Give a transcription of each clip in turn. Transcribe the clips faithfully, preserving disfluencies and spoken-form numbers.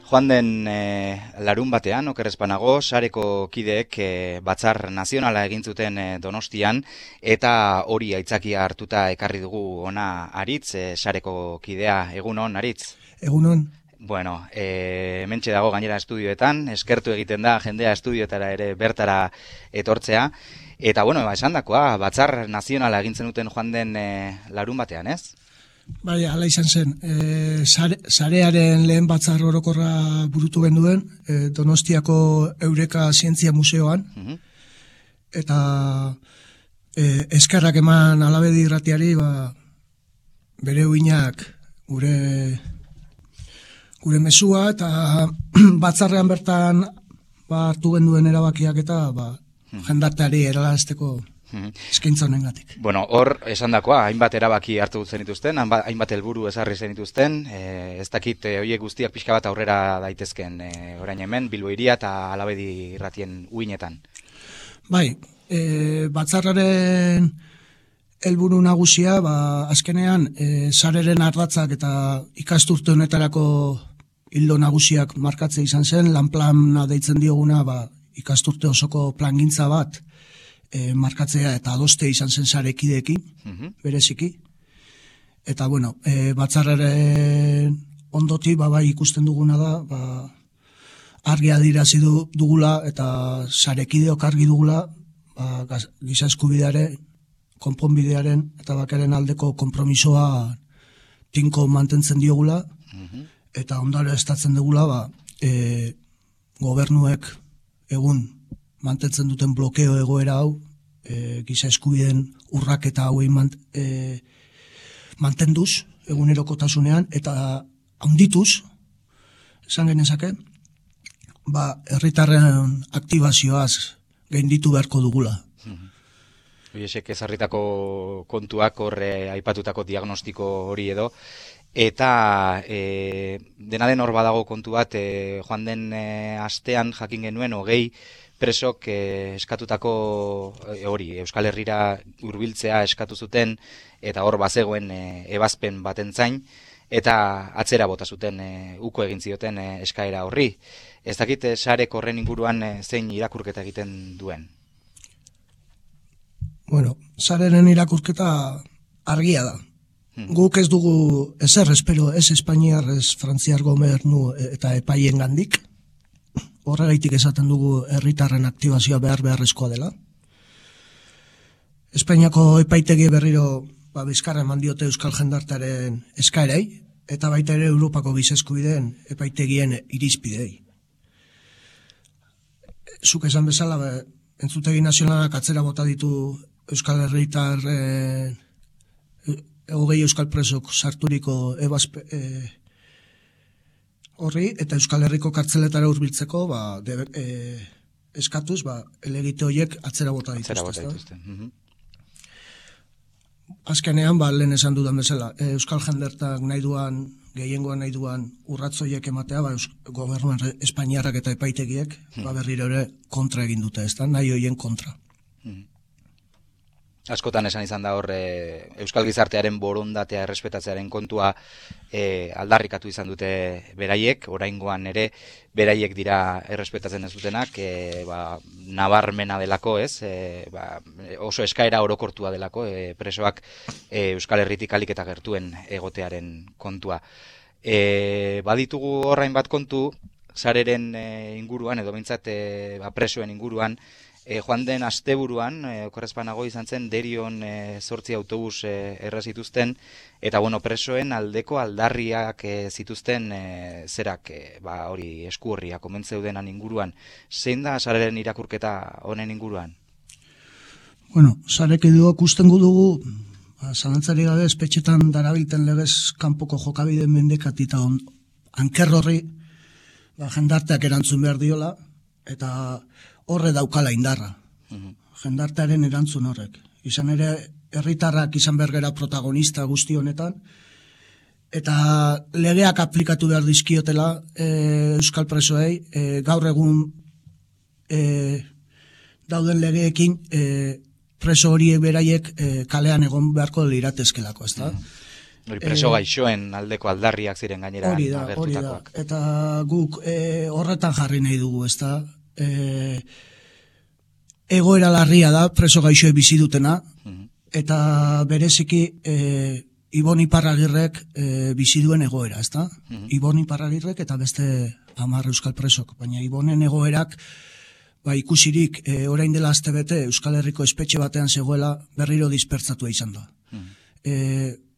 Joan den e, larun batean, okerrezpanago, sareko kideek e, batzar nazionala egin zuten e, Donostian, eta hori aitzakia hartuta ekarri dugu ona Aritz, e, sareko kidea. Egunon, Aritz? Egunon. Bueno, e, hementxe dago gainera estudioetan, eskertu egiten da jendea estudioetara ere bertara etortzea, eta bueno, esan dakoa, batzar nazionala egin zenuten joan den e, larun batean, ez? Bai, ala izan zen. E, sare, sarearen lehen batzar orokorra burutu genduen, e, Donostiako Eureka Zientzia Museoan, uh-huh. eta e, eskerrak eman Alabedi irratiari, ba, bere uinak gure gure mesua, eta batzarrean bertan ba, hartu genduen erabakiak eta ba, uh-huh. jendarteari erarazteko eskaintza honengatik. Bueno, hor esan dakoa, hainbat erabaki hartu zenituzten, hainbat helburu ezarri zenituzten, e, ez dakit e, horiek guztiak pixka bat aurrera daitezken e, orain hemen, Bilbo hiria eta Alabedi irratien uinetan. Bai, e, batzarraren helburu nagusia, ba, azkenean, e, sareren ardatzak eta ikasturte honetarako hildo nagusiak markatzea izan zen, lanplana deitzen dioguna, ba, ikasturte osoko plangintza bat, E, markatzea eta adoste izan zen sarekideekin, uh-huh. bereziki. Eta, bueno, e, batzarraren ondoti, ba, bai ikusten duguna da, ba, argi adirazi du, dugula eta sarekideok argi dugula, ba, giza eskubidearen, konponbidearen eta bakaren aldeko konpromisoa tinko mantentzen diogula, uh-huh. eta ondare estatzen dugula, ba, e, gobernuek egun mantentzen duten blokeo egoera hau, e, giza eskubideen urraketa hauei mant, e, mantenduz, egunerokotasunean, eta handituz, esan genezake, ba, herritarren aktibazioaz gainditu beharko dugula. Hoiesek ezarritako kontuak horre aipatutako diagnostiko hori edo, eta e, dena den hor badago kontu bat, e, joan den e, astean jakin genuen hogei presok eh, eskatutako eh, hori, Euskal Herrira hurbiltzea eskatu zuten, eta hor bazegoen eh, ebazpen baten zain, eta atzera bota zuten eh, uko egin zioten eh, eskaera horri. Ez dakit eh, sarek horren inguruan eh, zein irakurketa egiten duen? Bueno, sareren irakurketa argia da. Hmm. Guk ez dugu ezer espero, ez Espainiar, ez Frantziar gobernu eta epaien gandik. Horregaitik esaten dugu herritarren aktibazioa behar beharrezkoa dela. Espainiako epaitegi berriro ba, bizkarra eman diote euskal jendartearen eskaerei, eta baita ere Europako giza eskubideen epaitegien irizpidei. Zuk esan bezala, be, entzutegi nazionalak atzera bota ditu euskal herritar e, hogei euskal presok sarturiko ebazpe... E, horri, eta Euskal Herriko kartzeletara hurbiltzeko ba, de, e, eskatuz, ba, elegite horiek atzera bota dituzte. Atzera bota dituzte. Uh-huh. Azkenean, ba, lehen esan dudan bezala, e, Euskal jendertak nahi duan, gehiengoan nahi duan urratzoiek ematea, ba, gobernuan Espainiarrak eta epaitegiek, uh-huh. ba, berriro ere kontra egin dute, ez da, nahi horien kontra. Uh-huh. Askotan esan izan da hor e, Euskal Gizartearen borondatea errespetatzearen kontua e, aldarrikatu izan dute beraiek, oraingoan ere beraiek dira errespetatzen ez dutenak, e, ba, nabarmena delako, ez? E, ba, oso eskaera orokortua delako, e, presoak e, Euskal Herritik alik eta gertuen egotearen kontua. E, baditugu horrain bat kontu, sareren e, inguruan, edo behintzat e, ba, presoen inguruan, E, joan den asteburuan, e, okerrezpanago izan zen, Derion e, zortzi autobus e, errazituzten, eta bueno, presoen aldeko aldarriak e, zituzten e, zerak, e, ba, hori esku horriak omentzeudenan inguruan. Zein da sareren irakurketa honen inguruan? Bueno, sarek edo kustengu dugu, ba, zalantzari gabe espetxetan darabilten legez kanpoko jokabide mendekatita on, anker horri, ba, jendarteak erantzun behar diola, eta horre daukala indarra, uh-huh. jendartearen erantzun horrek. Izan ere, herritarrak izan bergera protagonista guzti honetan, eta legeak aplikatu behar dizkiotela e, Euskal Presoei, e, gaur egun e, dauden legeekin e, preso horiek beraiek e, kalean egon beharko liratezkelako, ezta? Uh-huh. Hori preso gaixoen aldeko aldarriak ziren gainera hori da, hori da. Eta guk e, horretan jarri nahi dugu, ezta? E, egoera larria da preso gaixoe bizi dutena, uh-huh. eta bereziki e, Ibon Iparragirrek e, bizi duen egoera, ezta? Uh-huh. Ibon Iparragirrek eta beste hamar euskal presok, baina Ibonen egoerak ba, ikusirik e, orain dela astebete Euskal Herriko espetxe batean zegoela berriro dispertzatua izan da. Uh-huh. E,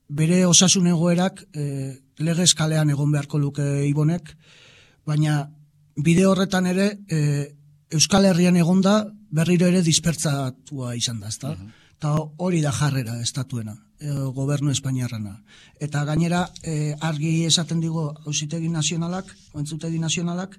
bere osasun egoerak e, legez kalean egon beharko luke Ibonek, baina bide horretan ere e, Euskal Herrian egonda berriro ere dispertzatua izan da, ezta? Uh-huh. Eta hori da jarrera estatuena, e, gobernu espainiarrana. Eta gainera e, argi esaten digo Auzitegi Nazionalak, Entzutegi Nazionalak,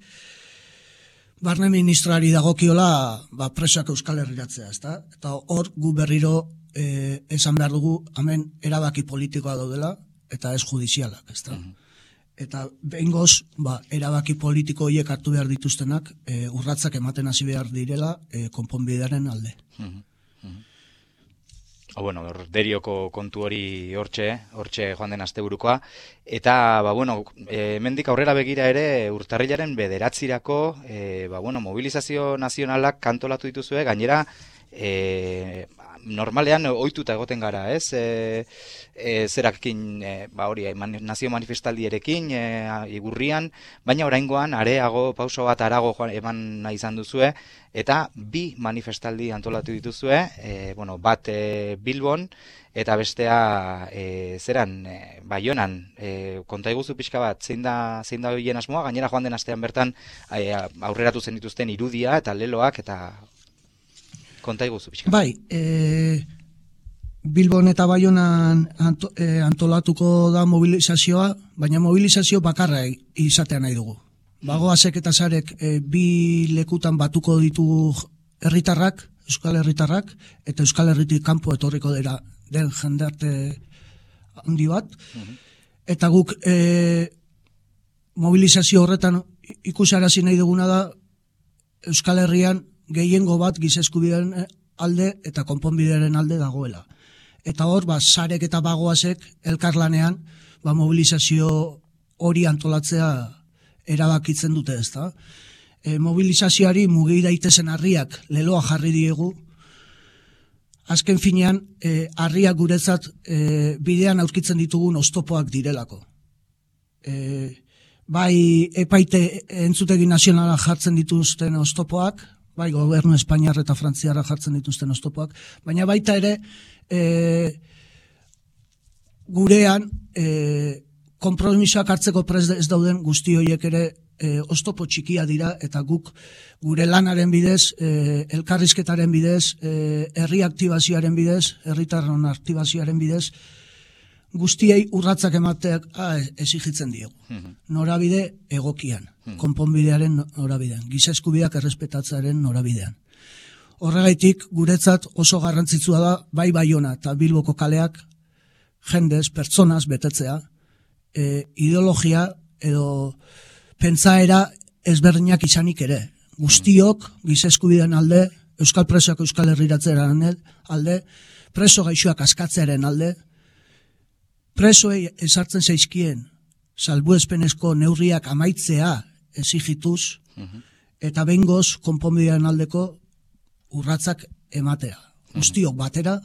barne ministroari dagokiola ba, presoak Euskal Herriratzea, ezta? Eta hor gu berriro E, esan behar dugu, hemen erabaki politikoa daudela, eta ez judizialak, ezta? Uh-huh. Eta behingoz, ba, erabaki politiko horiek hartu behar dituztenak, e, urratzak ematen hasi behar direla, e, konponbidearen alde. Uh-huh. Uh-huh. O, bueno, derioko kontu hori hortxe, hortxe joan den asteburukoa, eta, ba, bueno, e, mendik aurrera begira ere, urtarrilaren bederatzirako, e, ba, bueno, mobilizazio nazionalak kantolatu dituzue, gainera, e, normalean ohituta egoten gara, ez? E, e, zerakin, e, ba hori, mani, nazio manifestaldierekin, e, igurrian, baina oraingoan areago, pauso bat arago joan, eman nahi izan duzue, eta bi manifestaldi antolatu dituzue, e, bueno, bat e, Bilbon, eta bestea e, zeran, e, Baionan, e, konta iguzu pixka bat, zein da, zein da horien asmoa, gainera joan den astean bertan e, aurreratu zen dituzten irudia eta leloak, eta konta iguzu pixka. Bai, e, Bilbon eta Baionan anto, e, antolatuko da mobilizazioa, baina mobilizazio bakarra izatea nahi dugu. Bagoazek eta zarek e, bi lekutan batuko ditu herritarrak, Euskal Herritarrak, eta Euskal Herritik kanpo etorriko dira den jendarte handi bat, uh-huh. eta guk e, mobilizazio horretan ikusarazi nahi duguna da Euskal Herrian gehiengo bat giza eskubideen alde eta konponbidearen alde dagoela. Eta hor, ba, sarek eta bagoazek elkarlanean ba, mobilizazio hori antolatzea erabakitzen dute, ezta? E, mobilizazioari mugi daitezen harriak leloa jarri diegu. Azken finean, e, harriak guretzat e, bidean aurkitzen ditugun oztopoak direlako. E, bai epaite entzutegi nazionala jartzen dituzten oztopoak, bai gobernu Espainiar eta Frantziarra jartzen dituzten oztopoak, baina baita ere e, gurean e, konpromisoak hartzeko prest ez dauden guzti horiek ere e, oztopo txikia dira, eta guk gure lanaren bidez, e, elkarrizketaren bidez, e, herri aktibazioaren bidez, herritarron aktibazioaren bidez, guztiei urratzak emateak ah, exigitzen diegu. Mm-hmm. Norabide egokian, mm-hmm. konponbidearen norabidean, giza eskubideak errespetatzearen norabidean. Horregaitik, guretzat oso garrantzitsua da, bai Baiona eta Bilboko kaleak, jendez, pertsonaz betetzea, e, ideologia edo pentsaera ezberdinak izanik ere. Guztiok, giza eskubidean alde, euskal presoak euskal herriratzearen alde, preso gaixoak askatzearen alde, presoei ezartzen zaizkien salbuespenezko neurriak amaitzea exigituz, uh-huh. eta behingoz konponbidean aldeko urratzak ematea. Uh-huh. Guztiok batera,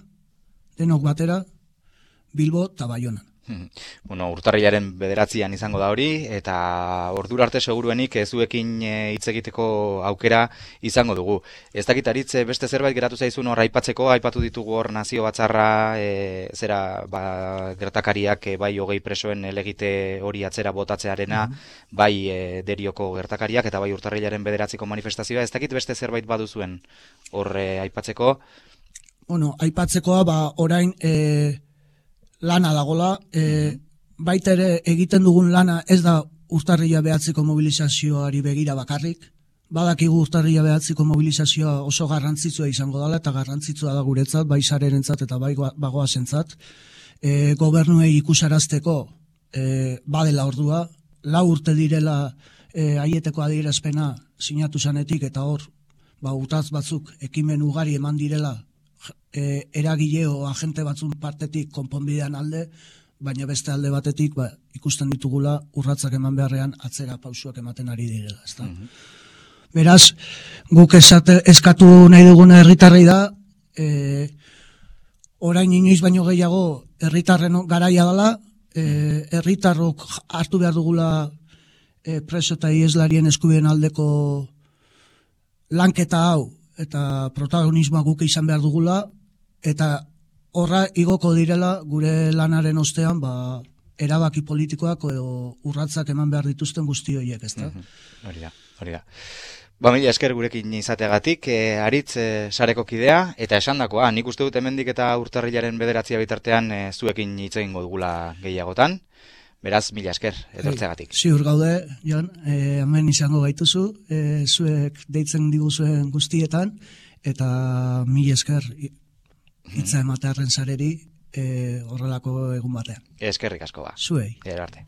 denok batera, Bilbo eta Baionan. Bueno, urtarrilaren bederatzian izango da hori, eta ordura arte seguruenik zuekin hitz egiteko aukera izango dugu. Ez dakit Aritz, beste zerbait geratu zaizun hor aipatzeko, aipatu ditugu hor nazio batzarra, e, zera ba, gertakariak e, bai hogei presoen elegite hori atzera botatzearena, mm-hmm. bai e, derioko gertakariak, eta bai urtarrilaren bederatziko manifestazioa. Ez dakit beste zerbait baduzuen hor e, aipatzeko? Bueno, aipatzekoa, ba, orain e... lana dagola, e, baita ere egiten dugun lana ez da urtarrila behatziko mobilizazioari begira bakarrik, badakigu urtarrila behatziko mobilizazioa oso garrantzitsua izango dela, eta garrantzitsua da guretzat, bai sarerentzat eta bai bagoazentzat, e, gobernuei ikusarazteko e, badela ordua, lau urte direla e, aieteko adierazpena sinatu zanetik, eta hor, ba, utaz batzuk ekimen ugari eman direla, E, eragile o agente batzun partetik konponbidean alde, baina beste alde batetik ba, ikusten ditugula urratsak eman beharrean atzera pausuak ematen ari direla. Ezta? Mm-hmm. Beraz, guk esate, eskatu nahi duguna herritarrei da, e, orain inoiz baino gehiago herritarren garaia dela, e, herritarrok hartu behar dugula e, preso eta ieslarien eskubideen aldeko lanketa hau, eta protagonismoa guk izan behar dugula, eta horra igoko direla gure lanaren ostean, ba, erabaki politikoak edo urratsak eman behar dituzten guzti horiek, ezta? Hori da, hori da. Ba, mila esker gurekin izateagatik, e, Aritz e, sareko kidea, eta esandakoa, nik uste dut hemendik eta urtarrilaren bederatzia bitartean e, zuekin hitz egingo dugula gehiagotan, beraz, mila esker, etortzeagatik. Hey, ziur gaude, Jon, e, hemen izango gaituzu, e, zuek deitzen diguzuen guztietan, eta mila esker hitza ematearen sareri e, horrelako egun batean. Eskerrik asko ba. Zuei. Gero arte.